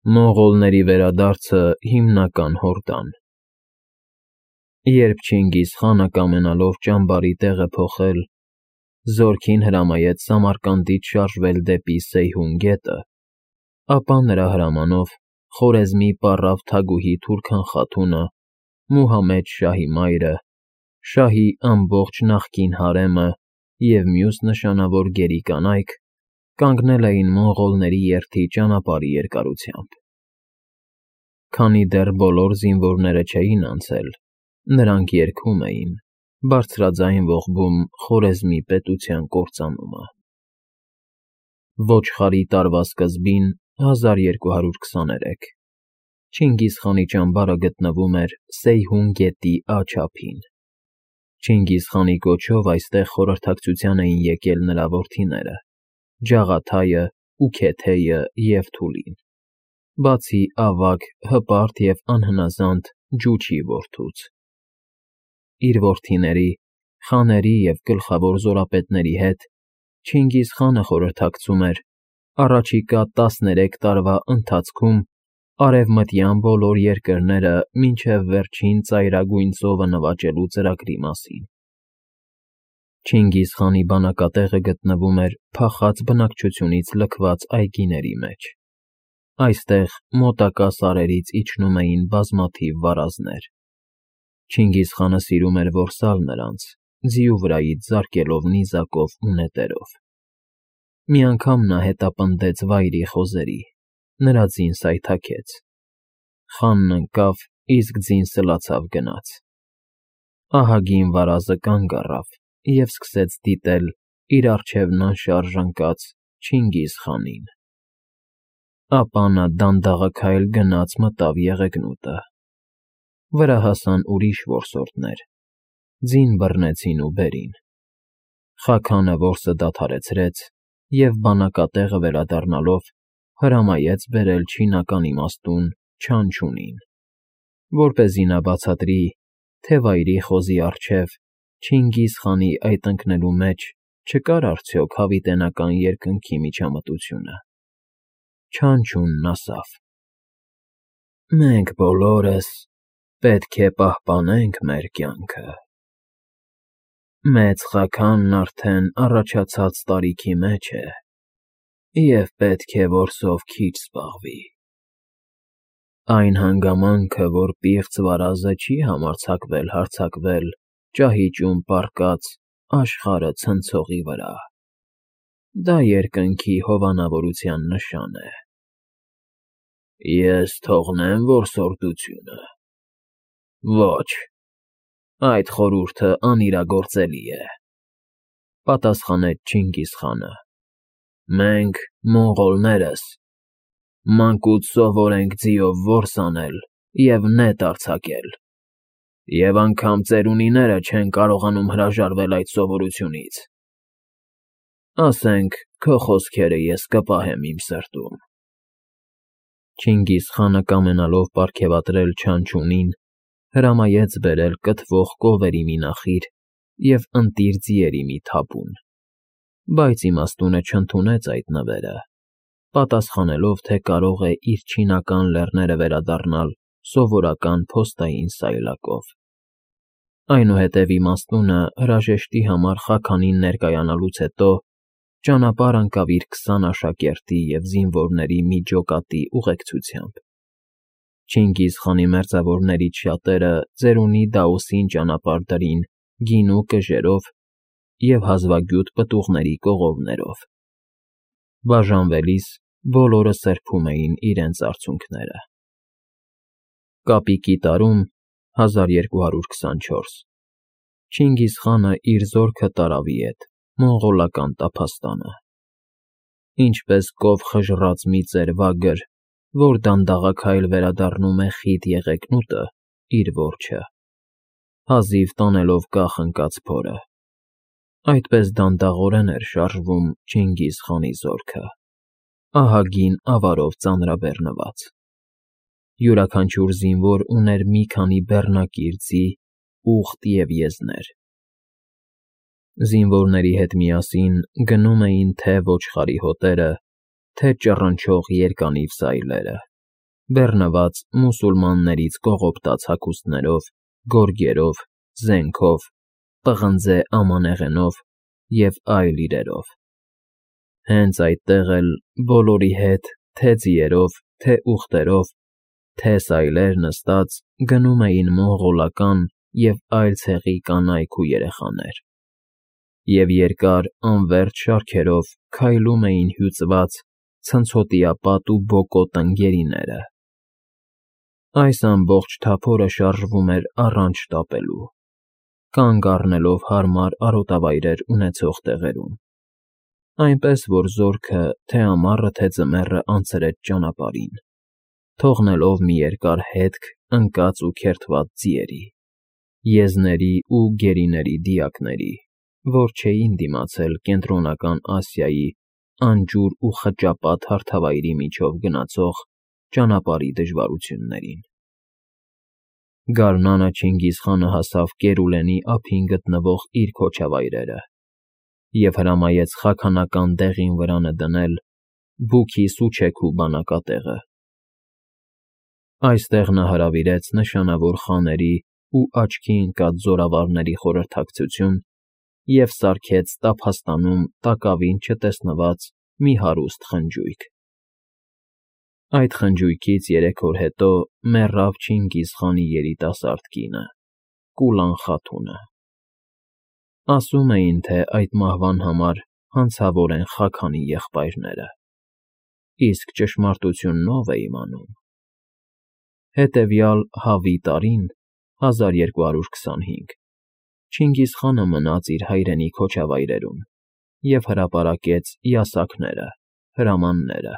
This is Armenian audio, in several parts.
Մոնղոլների վերադարձը հիմնական հորդան։ Երբ Չինգիզ խանը կամենալով ճամբարի տեղը փոխել, զորքին հրամայեց Սամարկանդից շարժվել դեպի Սեյհուն գետը, ապա նրա հրամանով Խորեզմի պառավ թագուհի Թուրքան խաթունը, Մուհամեդ շահի մայրը, շահի ամբողջ նախկին հարեմը և մյուս նշանավոր գերի կանայք կանգնել էին մոնղոլների երթի ճանապարհի երկարությամբ։ Քանի դեռ բոլոր զինվորները չէին անցել, նրանք երգում էին, բարձրաձայն ողբում Խորեզմի պետության կործանումը։ Ոչխարի տարվա սկզբին 1223 Չինգիզ խանի ճամբարը գտնվում էր Սեյհուն գետի աջափին։ Չինգիզ խանի կոչով այստեղ խորհրդակցության էին եկել նրա որդիները՝ Ջաղաթայը, Ուքեթեյը և Թուլին, բացի ավագ, հպարտ և անհնազանդ Ջուչի որդուց։ Իր որդիների, խաների և գլխավոր զորապետների հետ Չինգիզ խանը խորհրդակցում էր առաջիկա 13 տարվա ընթացքում արևմտյան բոլոր երկրները մինչև վերջին ծայրագույն ծովը նվաճելու ծրագրի մասին։ Չինգիզ խանի բանակատեղը գտնվում էր փախած բնակչությունից լքված այգիների մեջ։ Այստեղ մոտակա սարերից իջնում էին բազմաթիվ վարազներ։ Չինգիզ խանը սիրում էր որսալ նրանց, ձիու վրայից զարկելով նիզակով ու նետերով։ Մի անգամ նա հետապնդեց վայրի խոզերի, նրա ձին սայթաքեց։ Խանն ընկավ, իսկ ձին սլացավ գնաց։ Ահագին վարազը կանգ առավ և սկսեց դիտել իր առջևն անշարժ ընկած Չինգիզ խանին։ Ապա նա դանդաղաքայլ գնաց մտավ եղեգնուտը։ Վրա հասան ուրիշ որսորդներ, ձին բռնեցին ու բերին։ Խաքանը որսը դադարեցրեց և բանակատեղը վերադառնալով հրամայեց բերել չինական իմաստուն Չանչունին, որպեսզի նա բացատրի, թե վայրի խոզի առջև Չինգիզ խանի այդ ընկնելու մեջ չկար արդյոք հավիտենական երկնքի միջամտությունը։ Չանչունն ասավ. «Մենք բոլորս պետք է պահպանենք մեր կյանքը։ Մեծ Խաքանն արդեն առաջացած տարիքի մեջ է և պետք է որսով քիչ զբաղվի։ Այն հանգամանքը, որ պիղծ վարազը չի համարձակվել հարձակվել ճահիճում պառկած աշխարհը ցնցողի վրա, դա երկնքի հովանավորության նշան է։ Ես թողնե՞մ որսորդությունը։ Ոչ, այդ խորհուրդը անիրագործելի է, պատասխանեց Չինգիզ խանը։ Մենք, մոնղոլներս, մանկուց սովոր ենք ձիով որս անել և նետ արձակել, և անգամ ծերունիները չեն կարողանում հրաժարվել այդ սովորությունից։ Ասենք, քո խոսքերը ես կպահեմ իմ սրտում։ Չինգիզ խանը կամենալով պարգևատրել Չանչունին, հրամայեց բերել կթվող կովերի մի նախիր և ընտիր ձիերի մի թափուն, բայց իմաստունը չընդունեց այդ նվերը, պատասխանելով, թե կարող է իր չինական լեռները վերադառնալ սովորական փոստային սայլակով։ Այնուհետև իմաստունը հրաժեշտի համար Խաքանին ներկայանալուց հետո ճանապարհ ընկավ իր 20 աշակերտի և զինվորների մի ջոկատի ուղեկցությամբ։ Չինգիզ խանի մերձավորներից շատերը ծերունի Դաոսին ճանապարհ դրին գինու կժերով և հազվագյուտ պտուղների կողովներով։ Բաժանվելիս բոլորը սրբում էին իրենց արցունքները։ Կապիկի տարում 1224 Չինգիզ խանը իր զորքը տարավ ի ետ մոնղոլական տափաստանը։ Ինչպես կով խժռած մի ծեր-վագր, որ դանդաղաքայլ վերադառնում է խիտ եղեգնուտը իր որջը, հազիվ տանելով կախ ընկած փորը, այդպես դանդաղորեն էր շարժվում Չինգիզ խանի զորքը, ահագին ավարով ծանրաբեռնված։ Յուրաքանչյուր զինվոր ուներ մի քանի բեռնակիր ձի, ուղտ և եզներ։ Զինվորների հետ միասին գնում էին թե ոչխարի հոտերը, թե ճռնչող երկանիվ սայլերը։ բեռնված մուսուլմաններից կողոպտած հագուստներով, գորգերով, զենքով, պղնձե ամանեղենով և այլ իրերով։ Հենց այդտեղ էլ բոլորի հետ, թե ձիերով, թե ուղտերով, թե սայլեր նստած գնում էին մոնղոլական և այլ ցեղի կանայք ու երեխաներ, և երկար անվերջ շարքերով քայլում էին հյուծված ցնցոտիապատ ու բոկոտ ընկերիները։ Այս ամբողջ թափորը շարժվում էր առանց շտապելու, կանգ առնելով հարմար արոտավայրեր ունեցող տեղերում, այնպես որ զորքը թե ամառը, թե ձմեռը անցրեց ճանապարհին, թողնելով մի երկար հետք ընկած ու քերթված ձիերի, եզների ու գերիների դիակների, որ չէին դիմացել Կենտրոնական Ասիայի անջուր ու խճապատ հարթավայրի միջով գնացող ճանապարհի դժվարություններին։ Գարնանը Չինգիզխանը հասավ Կերուլենի ափին գտնվող իր քոչավայրերը և հրամայեց խաքանական դեղին վրանը դնել Բուքի-Սուչեքու բանակատեղը։ Այստեղ նա հրավիրեց նշանավոր խաների ու աչքի ընկած զորավարների խորհրդակցություն և սարքեց տափաստանում տակավին չտեսնված մի հարուստ խնջույք։ Այդ խնջույքից 3 օր հետո մեռավ Չինգիզխանի երիտասարդ կինը՝ Կուլան Խաթունը։ Ասում էին, թե այդ մահվան համար հանցավոր են Խաքանի եղբայրները, իսկ ճշմարտությունն ով է իմանում։ Հետևյալ Հավի տարին 1225 Չինգիզխանը մնաց իր հայրենի քոչավայրերում և հրապարակեց յասաքները, հրամանները։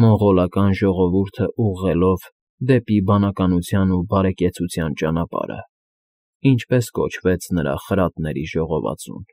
Մոնղոլական ժողովուրդը ուղղելով դեպի բանականության ու բարեկեցության ճանապարհը, ինչպես կոչվեց նրա խրատների ժողովածուն։